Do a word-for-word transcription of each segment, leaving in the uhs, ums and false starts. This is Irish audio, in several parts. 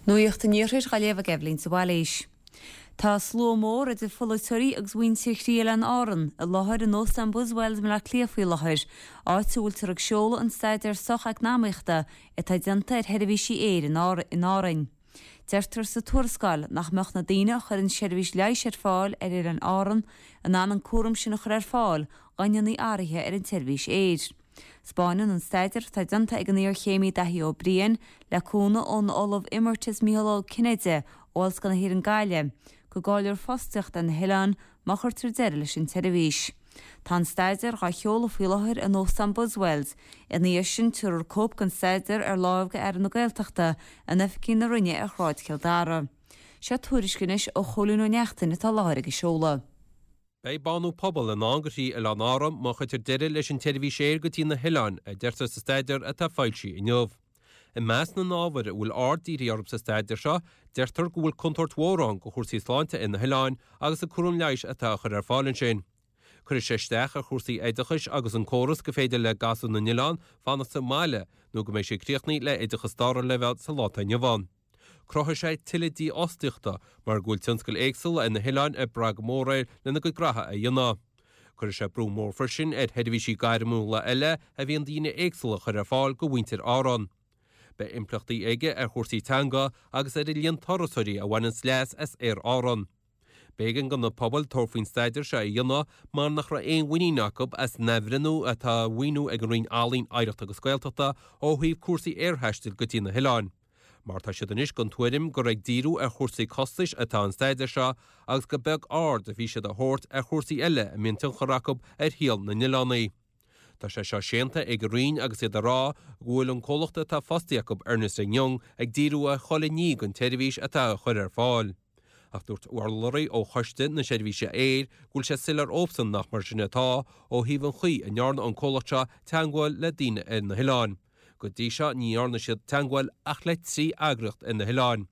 Nuacht an Iarthair á léamh ag Eibhlín de Bhailís. Tá slua mór idir pholaiteoirí agus mhuintir thrí Oileáin Árann i láthair in Óstán Buswells i mBaile Átha Cliath faoi láthair, áit a bhfuiltear ag seoladh an staidéar socheacnamaíochta atá déanta ar sheirbhísí aeir in Árainn. Deirtear sa tuarascáil nach mbeadh na daoine a chuireann seirbhís leighis ar fáil ar Oileáin Árann in ann an cúram sin a chur ar fáil dá ndéanfaí athruithe ar an tseirbhís aeir. Spáineann an staidéar atá déanta ag an iarchéimí Daithí Ó Briain le cúnamh ón Ollamh Emeritus Mícheál Ó Cinnéide ó Ollscoil na hÉireann Gaillimh, go gcaillfear fostaíocht ar na hoileáin má chuirtear deireadh leis an tseirbhís. Tá an staidéar á sheoladh faoi láthair in Óstán Buswells, ina dhiaidh sin tabharfar cóip den staidéar ar láimh go Aire na Gaeltachta in oifigí na Roinne ar Shráid Chill Dara. Seo tuairisc anois ó Chóilín Ó Neachtain atá i láthair ag an seoladh. Beidh bánú pobal i ndán do thrí Oileán Árann má chuirtear deireadh leis an tseirbhís aeir go dtí na hoileáin, a deirtear sa staidéar atá foilsithe inniu. I measc na n-ábhar a bhfuil aird dírithe orthu sa staidéar seo, deirtear go bhfuil contúirt mhór ann do chúrsaí sláinte ar na hoileáin agus an cúram leighis atá á chur ar fáil ansin. Cuirfidh sé isteach ar chúrsaí oideachais agus an córas gur féidir le gasúir na n-oileán fanacht sa mbaile nó go mbeidh siad críochnaithe le hoideachas dara leibhéal sa lá atá inniu ann. Cruthóidh sé tuilleadh dífhostaíochta mar go bhfuil tionscail éagsúla ar na hoileáin ag brath go mór air lena gcuid graithe a dhéanamh. Cuirfidh sé brú mór freisin ar sheirbhísí gairmiúla eile a bhíonn daoine éagsúla a chur ar fáil do mhuintir Árann. Beidh impleachtaí aige ar chúrsaí teanga agus ar an líon turasóirí a bhaineanns leas as Aer Árann. B'éigean do na pobail tabhairt faoin staidéar seo a dhéanamh mar nach raibh aon mhuinín acu as an athbhreithniú atá á mhaoiniú ag an Roinn Ealaíon, Oidhreachta agus Gaeltachta ó thaobh cúrsaí aerthaistil go dtí na hoileáin. Mar tá siad anois den tuairim gur ag díriú ar chúrsaí costais atá an staidéar seo agus gur beag aird a bhí siad a thabhairt ar chúrsaí eile a mbíonn tionchar acu ar shaol na n-oileánaí. Tá sé seo séanta ag an Roinn agus iad ag rá go bhfuil an comhlacht atá fostaithe acu, Ernest and Young, ag díriú ar chuile ní den tseirbhís atá á chur ar fáil. Ach dúirt urlabhraí ó Choiste na Seirbhíse Aeir go bhfuil sé soiléir dóibhsean nach mar sin atá ó thaobh an chaoi a ndearna an comhlacht seo teagmháil le daoine ar na hoileáin. Go dtí seo ní dhearna siad teagmháil ach le trí eagraíocht ar na hoileáin.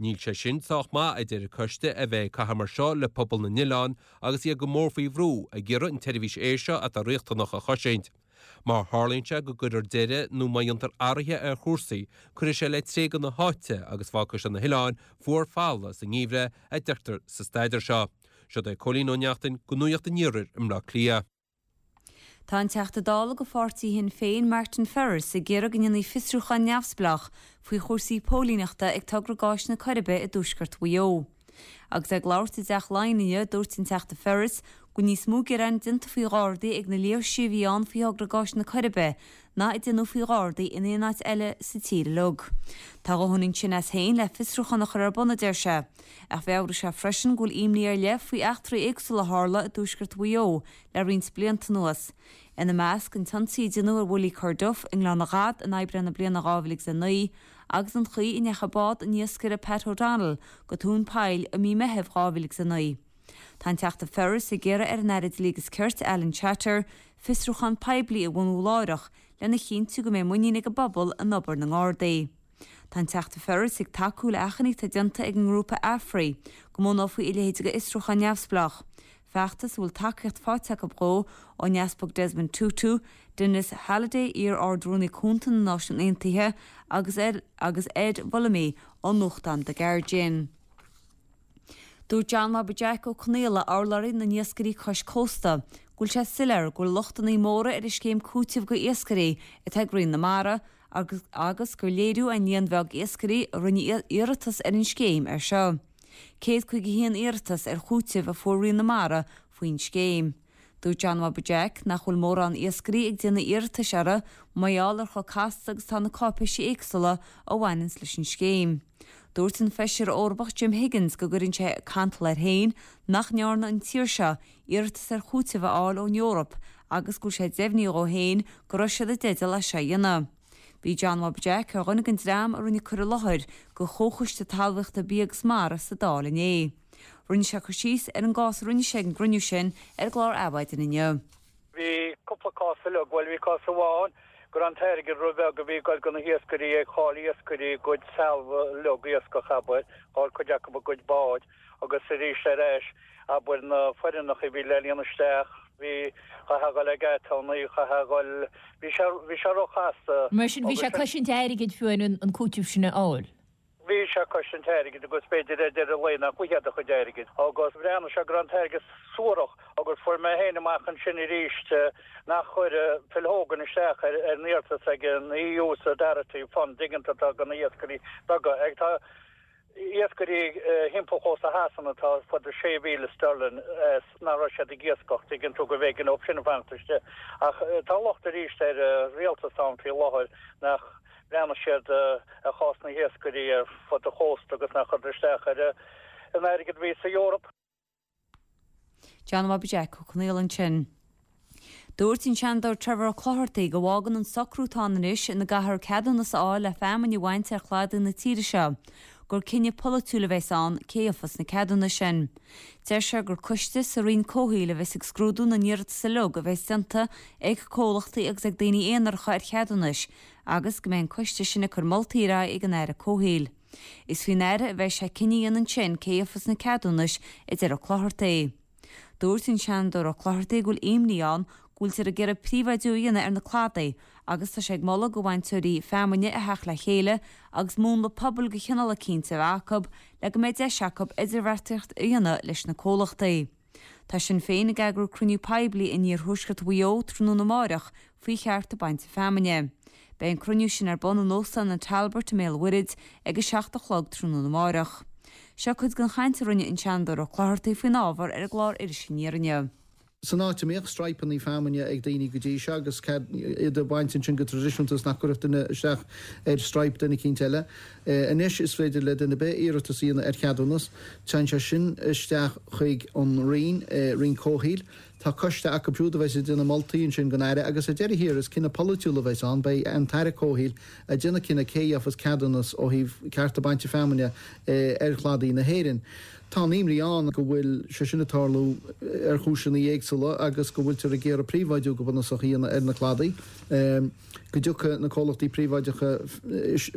Níl sé sin sách maith, a deir an coiste, a bheith ag caitheamh mar seo le pobal na n-oileán agus iad go mór faoi bhrú ag iarraidh an tseirbhís aeir seo atá riachtanach a chosaint. Má tharlaíonn sé go gcuirtear deireadh nó má dhéantar athruithe ar chúrsaí, cuirfidh sé le tréigean na háite agus fágfaidh sé na hoileáin fuar folamh sa ngeimhreadh, a deirtear sa staidéar seo. Siod é Cóilín Ó Neachtain do Nuacht an Iarthair i mBleá Cliath. Tá an Teachta Dála do pháirtí Shinn Féin Martin Ferris ag iarraidh go ndéanfaí fiosrúchán neamhspleách faoi chúrsaí póilíneachta ag togra gáis na Coiribe i dtuaisceart Mhaigh Eo. Agus é ag labhairt i dTeach Laighean inniu, dúirt an Teachta Ferris go bhfuil níos mó gearán déanta faoi Ghardaí ag na léirsithe a bhí ann faoi thogra gáis na Coiribe ná a déanadh faoi Ghardaí in aon áit eile sa tír uilig. Tá a dhóthain ansin as féin le fiosrúchán a chur ar bun, a deir sé. Ach mheabhraigh sé freisin go bhfuil imní ar leith faoi eachtraí éagsúla a tharla i dtuaisceart Mhaigh Eo le roinnt blianta anuas. Ina measc, an t-ionsaí a déanadh ar Willie Corduff i nGleann na gCat in Aibreán na bliana dhá mhíle agus a naoi agus an chaoi a ndeachaigh bád an iascaire Pat O'Donnell go tóin poill i mí Meithimh dhá mhíle agus a naoi. Tá an Teachta Ferris ag iarraidh ar an Aire Dlí agus Cirt, Alan Shatter, fiosrúchán poiblí a bhunú láithreach lena chinntiú go mbeidh muinín ag an bpobal in obair na nGardaí. Tá an Teachta Ferris ag tacú le achainí atá déanta ag an ngrúpa Afri go mbunófaí a leithéid de fhiosrúchán neamhspleách, feachtas a bhfuil tacaíocht faighte acu dhó ón Easpag Desmond Tutu, Denis Halliday, iar-Ard-Rúnaí Cúnta na Náisiún Aontaithe, agus agus Ed Vulliamy ón nuachtán The Guardian. Dúirt John Bhobby Jack Ó Conaola, urlabhraí na n-iascairí cois cósta, go bhfuil sé soiléir go bhfuil lochtanna móra ar an scéim cúitimh go iascairí atá ag Roinn na Mara agus agus gur léiriú an líon bheag iascairí a rinne iarratas ar an scéim air seo. Céad caoga a haon iarratas ar chúiteamh a fuair Roinn na Mara faoin scéim. Dúirt John Bhobby Jack nach bhfuil mórán iascairí ag déanamh iarratais uirthi mar gheall ar chomh casta agus atá na cáipéisí éagsúla a bhaineanns leis an scéim. Dúirt an Feisire Eorpach Jim Higgins go gcuireann sé cantal air féin nach ndearna an tír seo iarratas ar chúiteamh a fháil ón Eoraip agus go bhfuil sé deimhnithe dhó féin go raibh siad i dteideal é seo a dhéanamh. Bhí John Bhobby Jack ar dhuine den dream a rinne cur i láthair go Chomhchoiste Talmhaíochta Bia agus Mara sa Dáil inné. Rinne sé cur síos ar an gcás a rinne sé ag an gcruinniú sin ar an gclár Adhmhaidin inniu. Bhí cúpla cás uilig, bhuel bhí cás amháin go raibh an t-airgead ró-bheag a bhí ag goil go na hiascairí ag chaill iascairí a gcuid trealamh uilig iascach abair, chaill cuid acu a gcuid báid agus arís ar ais abair na foirmeacha a bhí le líonadh isteach bhí chaithfeá a dhul ag aturnae chaithfeá a dhul bhí sé bhí sé ró-chasta Mar sin bhí sé ag cosaint airgid fiú an an cúiteamh sin a fháil. Bhí Bhí sé ag cosaint an t-airgid agus b'fhéidir ar deireadh lae nach bhfuigheá do chuid airgid. Agus bhreathnaigh sé go raibh an t-airgead suarach agus fuair mé féin amach ansin arís nach chuir Phil Hogan isteach ar an iarratas ag an EU Solidarity Fund dtuigeann tú atá do na hiascairí beaga. Ag tá iascairí thimpeall chósta Shasana atá fud sé mhíle sterling nach raibh siad ag iascach tuigeann tú go bhféigean dóibh sin a fanacht istigh. Ach tá locht arís ar rialtas ann faoi láthair nach mbreathnaigh siad ar chás na hiascairí ar fud an chósta agus nach chuir isteach ar an airgead a bhí sa Eoraip. John Bhobby Jack Ó Conghaile ansin. Dúirt an Seanadóir Trevor Ó Clochartaigh go bhfágann an socrú atá ann anois ina gcaithfear ceadúnas a fháil le feamainn a bhaint ar chladaí na tíre seo, gur cinneadh polaitiúil a bheas ann cé a gheofas na ceadúnais sin. Deir sé gur coiste sa Roinn Comhshaoil a bheas ag scrúdú na n-iarratas uilig a bheas déanta ag comhlachtaí agus ag daoine aonaracha ar cheadúnais agus go mbeidh an coiste sin ag cur moltaí ar aghaidh ag an Aire Comhshaoil. Is faoin Aire a bheidh sé cinneadh a dhéanamh ansin cé a gheofas na ceadúnais, a deir Ó Clochartaigh. Dúirt an Seanadóir Ó Clochartaigh go bhfuil imní ann go bhfuiltear ag iarraidh príobháidiú a dhéanamh ar na cladaí agus tá sé ag moladh do bhainteoirí feamainne a theacht le chéile agus múnla pobail de chineál eicínt a bheith acu le go mbeidh deis acu idirbheartaíocht a dhéanamh leis na comhlachtaí. Tá Sinn Féin ag eagrú cruinniú poiblí in iarthuaisceart Mhaigh Eo tráthnóna amárach faoi chearta bainte feamainne. Beidh an cruinniú sin ar bun in Óstán an Talbot i mBéal an Mhuirthead ag a seacht a chlog tráthnóna amárach. Seo cuid den chaint a rinne an Seanadóir Ó Clochartaigh faoin ábhar ar an gclár Iris Aniar inniu. San áit a mbíodh straidhpeanna feamainne ag daoine go dtí seo agus iad a bhaint ansin go traidisiúnta is nach gcuirfeadh duine isteach ar straidhp duine eicínt eile. Anois is féidir le duine ar bith iarratas a dhéanamh ar cheadúnas. Téann sé sin isteach chuig an Roinn, Roinn Comhshaoil. Tá coiste acu siúd a bheas ag déanamh moltaí ansin don Aire agus ar deireadh thiar is cinneadh polaitiúil a bheas ann, beidh an tAire Comhshaoil ag déanamh cinneadh cé a gheofas ceadúnas ó thaobh cearta bainte feamainne ar chladaí na hÉireann. Tá an imní ann go bhfuil sé sin ag tarlú ar chúiseanna éagsúla agus go bhfuiltear ag iarraidh príobháidiú go bunúsach a dhéanamh ar na cladaí, go dtiocfaidh na comhlachtaí príobháideacha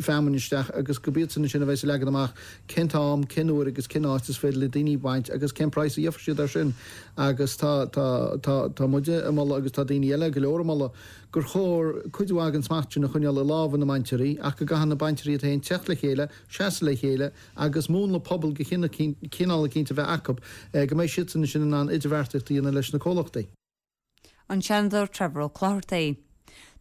feamainne isteach agus gurb iadsan ansin a bheas ag leagan amach cén t-am, cén uair agus cén áit is féidir le daoine baint agus cén praghas a gheofar siad air sin. Agus tá, tá, tá, tá muide ag moladh agus tá daoine eile go leor ag moladh gur chóir cuid mhaith den smacht sin a choinneáil i lámha na mbainteoirí ach go gcaithfidh na bainteoirí iad féin teacht le chéile, seasamh le chéile agus múnla pobail de chineál eicínt a bheith acu go mbeidh siadsan ansin in ann idirbheartaíocht a dhéanamh leis na comhlachtaí. An Seanadóir Trevor Ó Clochartaigh.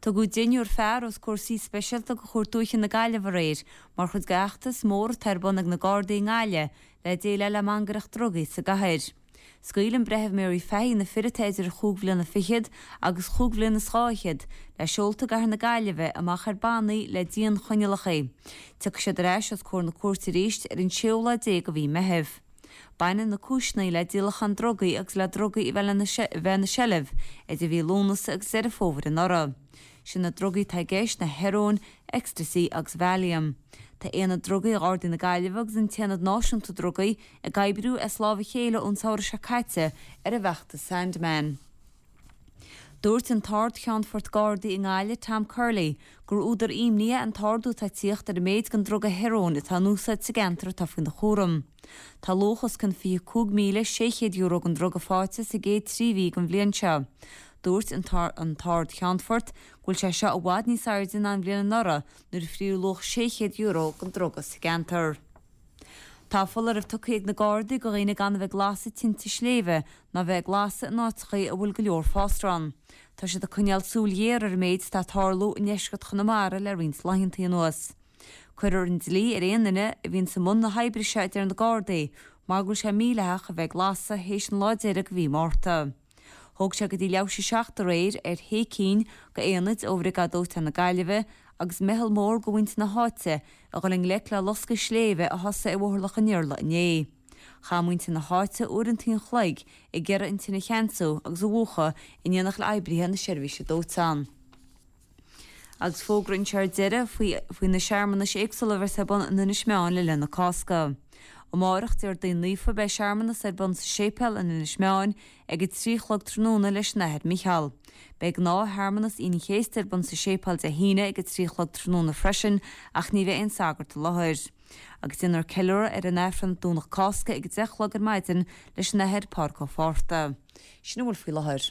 Tugadh deichniúr fear os comhair suí speisialta de Chúirt Dúiche na Gaillimhe aréir mar chuid de fheachtas mór atá ar bun ag na Gardaí i nGaillimh le déileáil le mangaireacht drugaí sa gcathair. Scaoil an Breitheamh Mary Fahy na fir atá idir chúig bhliana fichead agus chúig bhliana is dhá fhichead le seolta i gcathair na Gaillimhe amach ar bannaí le dianchoinníollacha. Tiocfaidh siad ar ais os comhair na cúirte arís ar an séú lá déag de mhí Meitheamh. Baineann na cúiseanna le díolachán drugaí agus le drugaí a bheith ina seilbh idir mhí Lúnasa agus Deireadh Fómhair anuraidh. Sé na drugaí atá i gceist ná hearóin, ecstasy agus Valium. Tá Aonad Drugaí Ghardaí na Gaillimhe agus an tAonad Náisiúnta Drugaí ag oibriú as lámh a chéile ón samhradh seo caite ar an bhfeachtas Sandman. Dúirt an tArd-Cheannfort Gardaí i nGaillimh, Tom Curley, gur údar imní é an t-ardú atá ag tíocht ar an méid den druga hearóin atá in úsáid sa gceantar atá faoina chúram. Tá luach os cionn fiche cúig míle sé chéad euro den druga faighte sa gcéad trí mhí den bhliain seo. Dúirt an tArd-Cheannfort go bhfuil sé seo i bhfad níos airde ná an bhliain anuraidh nuair a fríodh luach sé chéad euro den druga sa gceantar. Tá foláireamh tugtha ag na Gardaí do dhaoine gan a bheith ag lasadh tinte sléibhe ná bheith ag lasadh in áiteacha a bhfuil go leor fásra ann. Tá siad ag coinneáil súil ghéar ar an méid atá ag tarlú i ndeisceart Chonamara le roinnt laethanta anuas. Cuirfear an dlí ar aon duine a bhíonns i mbun na hoibre seo a deir na Gardaí mar go bhfuil sé mídhleathach a bheith ag lasadh théis an lá deiridh de mhí Márta. Thóg sé go dtí leathuair théis a seacht aréir ar shé cinn d'aonaid ó Bhriogáid Dóiteáin na Gaillimhe agus meitheal mór de mhuintir na háite a dhul i ngleic le loscadh sléibhe a thosaigh i mBóthar Loch an Iarla inné. Chaith muintir na háite uaireanta an chloig ag iarraidh an tine a cheansú agus a mhúchadh in éineacht le oibrithe na seirbhíse dóiteáin. Agus fógra anseo ar deireadh faoi na searmanais éagsúla a bheas ar bun in Inis Meáin le linn na Cásca. Amárach, Déardaoin Naofa, beidh searmanas ar bun sa séipéal in Inis Meáin ag a trí a chlog tráthnóna leis an Athair Micheál. Beidh gnáth-shearmanas Aoine an Chéasta ar bun sa séipéal Dé hAoine ag a trí a chlog tráthnóna freisin ach ní bheidh aon sagart i láthair. Agus déanfar ceiliúradh ar an Aifreann Domhnach Cásca ag a deich a chlog ar maidin leis an Athair Pádraig Ó Fátharta. Sin a bhfuil faoi láthair.